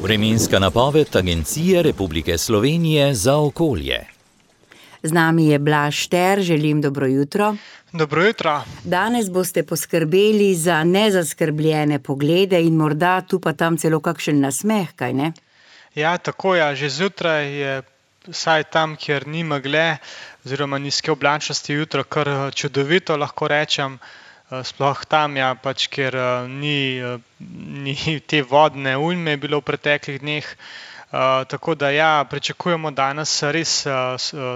Vremenska napoved Agencije Republike Slovenije za okolje. Z nami je Blaž Šter, želim dobro jutro. Dobro jutro. Danes boste poskrbeli za nezaskrbljene poglede in morda tu pa tam celo kakšen nasmeh, kaj ne? Ja, tako je. Že zjutraj je vsaj tam, kjer ni megle oziroma nizke oblačnosti, jutro kar čudovito, lahko rečem. Sploh tam, ja, pač, kjer ni te vodne ujme bilo v preteklih dneh. Tako da ja, pričakujemo danes res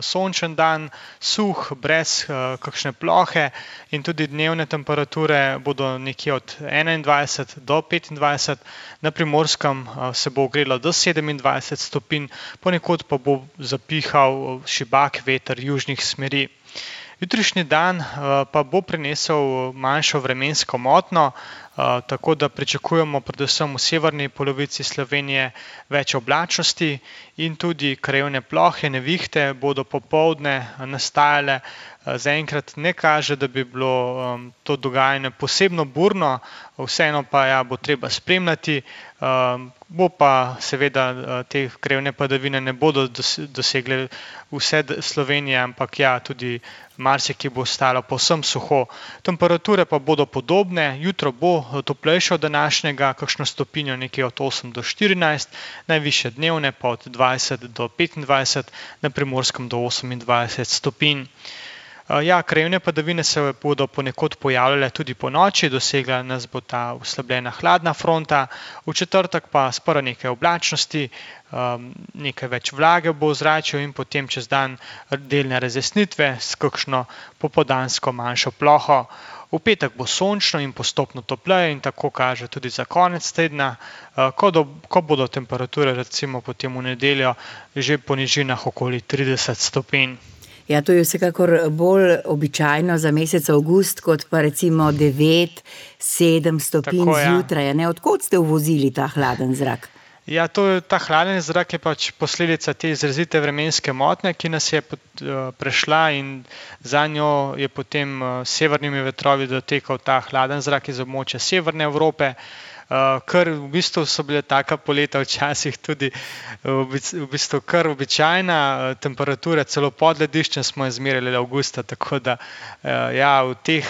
sončen dan, suh, brez kakšne plohe in tudi dnevne temperature bodo nekje od 21 do 25, na Primorskem se bo ogrelo do 27 stopinj, ponekod pa bo zapihal šibak veter južnih smeri. Jutrišnji dan pa bo prinesel manjšo vremensko motnjo, tako da pričakujemo predvsem v severni polovici Slovenije več oblačnosti in tudi krajevne plohe, nevihte bodo popoldne nastajale. Zaenkrat ne kaže, da bi bilo to dogajanje posebno burno, vseeno pa ja, bo treba spremljati. Bo pa seveda te krajevne padavine ne bodo dosegle vse Slovenije, ampak ja, tudi marsikje bo ostalo povsem suho. Temperature pa bodo podobne, jutro bo toplejše od današnjega, kakšno stopinjo nekje od 8 do 14, najvišje dnevne pa od 20 do 25, na Primorskem do 28 stopinj. Ja, krajevne padavine se bodo ponekod pojavljale tudi po noči, dosegla nas bo ta oslabljena hladna fronta, v četrtek pa sprva nekaj oblačnosti, nekaj več vlage bo v zraku in potem čez dan delne razjasnitve s kakšno popoldansko manjšo ploho. V petek bo sončno in postopno topleje in tako kaže tudi za konec tedna, ko bodo temperature recimo potem v nedeljo že po nižinah okoli 30 stopinj. Ja, to je vsekakor bolj običajno za mesec avgust, kot pa recimo 9-7 stopinj zjutraj. Ne? Odkot ste uvozili ta hladen zrak? Ja, ta hladen zrak je pač posledica te izrazite vremenske motnje, ki nas je prešla in za njo je potem severnimi vetrovi dotekal ta hladen zrak iz območja severne Evrope. Kar v bistvu so bile taka poleta včasih tudi v bistvu kar običajna temperatura, celo pod lediščem smo izmerili avgusta, tako da ja, v teh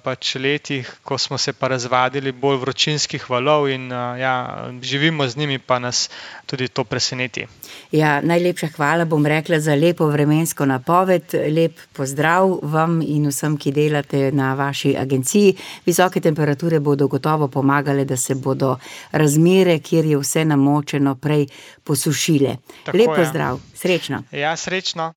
pač letih, ko smo se pa razvadili bolj vročinskih valov in ja, živimo z njimi, pa nas tudi to preseneti. Ja, najlepša hvala, bom rekla, za lepo vremensko napoved, lep pozdrav vam in vsem, ki delate na vaši agenciji. Visoke temperature bodo gotovo pomagale, da se bodo razmere, kjer je vse namočeno, prej posušile. Lep pozdrav, srečno. Ja, srečno.